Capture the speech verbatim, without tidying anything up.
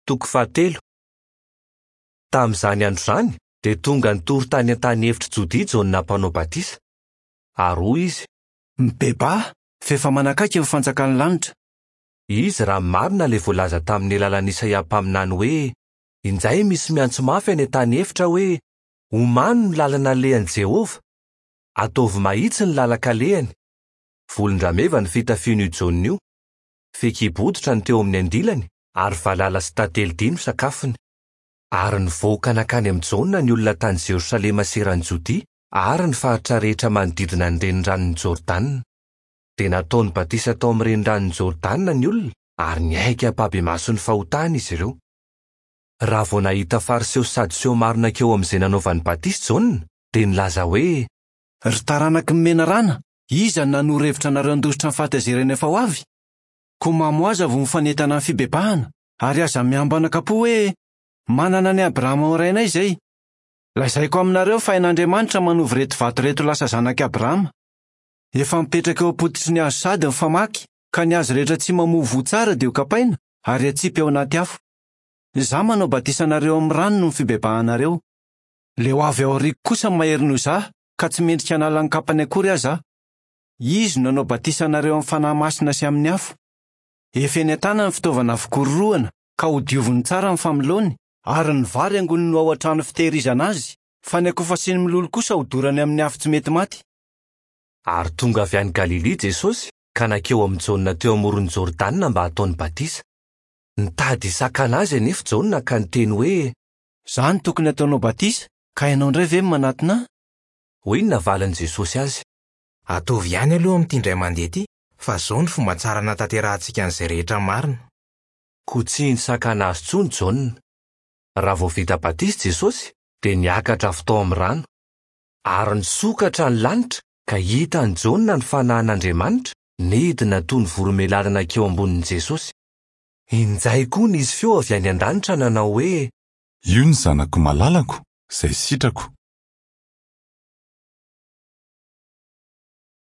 Toko fahatelo. Tamin'izany andro izany dia tonga nitory tany an-tany efitr'i Jodia Jaona mpanao batisa. Ary hoy izy: Mibebaha, fa efa manakaiky ny fanjakan'ny lanitra. Izy raha marina ilay voalaza tamin'ny alalan'i Isaia mpaminany hoe: Injay misy miantso mafy any an-tany efitra hoe: Omano ny lalana alehan'i Jehovah. Ataovy mahitsy ny lalan-kalehany. Volon-drameva ny fitafian'io Jaona io. Fehikibo hoditra no teo amin'ny andilany ary valala sy tantely dia no sakafony. Ary nivoaka nankany amin'i Jaona ny olona tany Jerosalema sy eran'i Jodia ary ny faritra rehetra manodidina ny reniranon'i Jordana. Dia nataony batisa tao amin'ny reniranon'i Jordana ny olona ary niaiky ampahibemaso ny fahotany izy ireo. Raha vao nahita Fariseo sy Sadoseo maro nankeo amin'izay nanaovany batisa Jaona, dia nilaza hoe: Ry taranaky ny menarana, iza no nanoro hevitra anareo handositra ny fahatezerana efa ho avy? Koa mamoaza vao mifanentana amin'ny fibebahana, ary aza miambana am-po hoe manana an'i Abrahama ho rainay izay. Lazaiko aminareo fa hain'Andriamanitra manova ireto vato ireto lasa zanak'i Abrahama. Efa mipetraka eo am-pototry ny hazo sady ny famaky, ka ny hazo rehetra tsy mamoa voa tsara dia hokapaina ary atsipy ao anaty afo. Izaho manao batisa anareo amin'ny rano noho ny fibebahanareo. Ilay ho avy ao aoriako kosa mahery noho izaho, ka tsy mendrika hanala ny kapany akory aza aho. Izy no nanao batisa anareo amin'ny Fanahy Masina sy amin'ny afo. Efa eny an-tanany ny fitaovana fikororohana, ka hodioviny tsara ny famoloany, ary ny vary angoniny ho ao an-trano fitehirizana azy, fa ny akofa sy ny mololo kosa hodorany amin'ny afo tsy mety maty. Ary tonga avy any Galilia Jesosy ka nankeo amin'i Jaona teo amoron'i Jordana mba hataony batisa. Nitady hisakana azy anefa Jaona ka niteny hoe: Izaho no tokony hataonao batisa, ka ianao indray ve no manatona ahy? Hoy ny navalin'i Jesosy azy: Ataovy ihany aloha amin'ity indray mandeha ity, fa izao no fomba tsara hanatanterahantsika an'izay rehetra marina. Koa tsy nisakana azy intsony Jaona. Raha vao vita batisa Jesosy, dia niakatra avy tao amin'ny rano. Ary nisokatra ny lanitra ka hitan'i Jaona ny fanahin'Andriamanitra nidina toy ny voromailala nankeo ambonin'i Jesosy. Injay koa nisy feo avy any an-danitra nanao hoe: Io ny zanako malalako, izay sitrako.